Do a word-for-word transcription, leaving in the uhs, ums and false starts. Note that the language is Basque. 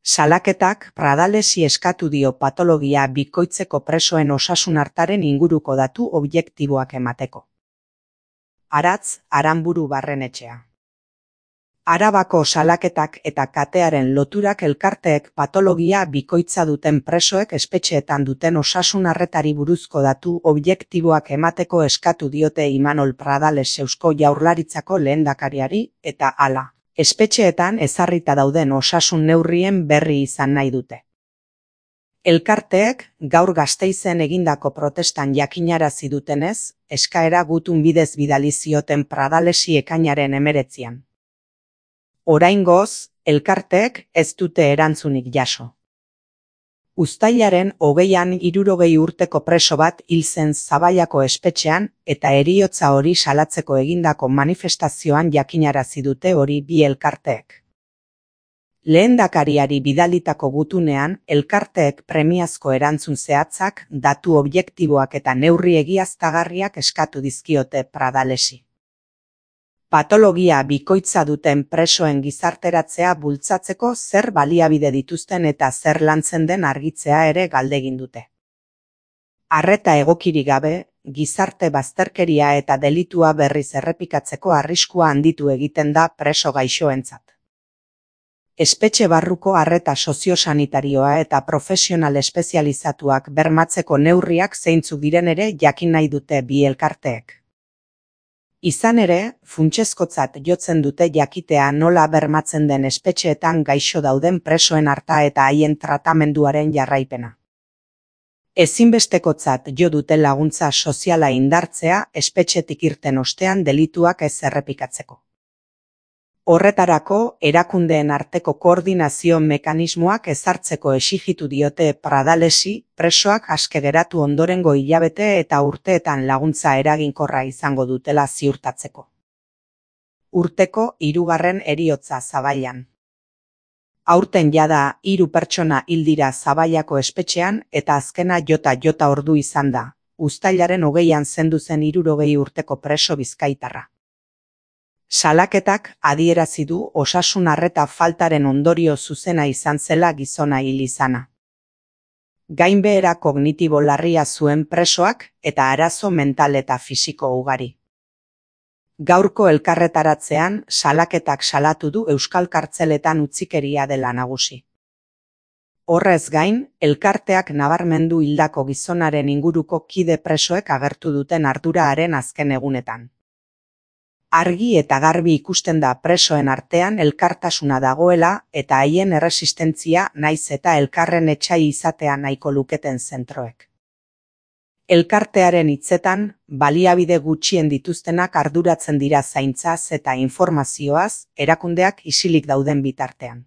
Salaketak Pradalesi eskatu dio patologia bikoitzeko presoen osasun artaren inguruko datu objektiboak emateko. Aratz Aranburu Barrenetxea. Arabako salaketak eta katearen loturak elkarteek patologia bikoitza duten presoek espetxeetan duten osasun arretari buruzko datu objektiboak emateko eskatu diote Imanol Pradales Eusko Jaurlaritzako lehendakariari eta hala, espetxeetan ezarrita dauden osasun neurrien berri izan nahi dute. Elkarteek gaur Gasteizen egindako protestan jakinarazi dutenez, eskaera gutun bidez bidali zioten Pradalesi ekainaren hemeretzian. Oraingoz, elkarteek ez dute erantzunik jaso. Uztailaren hogeian hirurogei urteko preso bat hil zen Zabaiako espetxean eta heriotza hori salatzeko egindako manifestazioan jakinarazi dute hori bi elkarteek. Lehendakariari bidalitako gutunean, elkarteek premiazko erantzun zehatzak, datu objektiboak eta neurri egiaztagarriak eskatu dizkiote Pradalesi. Patologia bikoitza duten presoen gizarteratzea bultzatzeko zer baliabide dituzten eta zer lantzen den argitzea ere galdegin dute. Arreta egokirik gabe, gizarte bazterkeria eta delitua berriz errepikatzeko arriskua handitu egiten da preso gaixoentzat. Espetxe barruko arreta soziosanitarioa eta profesional espezializatuak bermatzeko neurriak zeintzuk diren ere jakin nahi dute bi elkarteek. Izan ere, funtsezkotzat jotzen dute jakitea nola bermatzen den espetxeetan gaixo dauden presoen arta eta haien tratamenduaren jarraipena. Ezinbestekotzat jo dute laguntza soziala indartzea espetxetik irten ostean delituak ez errepikatzeko. Horretarako, erakundeen arteko koordinazio mekanismoak ezartzeko exigitu diote Pradalesi, presoak aske geratu ondorengo hilabete eta urteetan laguntza eraginkorra izango dutela ziurtatzeko. Urteko hirugarren heriotza Zabaian. Aurten jada hiru pertsona hil dira Zabaiako espetxean eta azkena jota jota ordu izan da, uztailaren hogeian zendu zen hirurogei urteko preso bizkaitarra. Salaketak adierazi du osasun arreta faltaren ondorio zuzena izan zela gizona hil izana. Gainbehera kognitibo larria zuen presoak eta arazo mental eta fisiko ugari. Gaurko elkarretaratzean salaketak salatu du euskal kartzeletan utzikeria dela nagusi. Horrez gain, elkarteak nabarmendu hildako gizonaren inguruko kide presoek agertu duten arduraren azken egunetan. Argi eta garbi ikusten da presoen artean elkartasuna dagoela eta haien erresistentzia naiz eta elkarren etsai izatea nahiko luketen zentroek. Elkartearen hitzetan, baliabide gutxien dituztenak arduratzen dira zaintzaz eta informazioaz, erakundeak isilik dauden bitartean.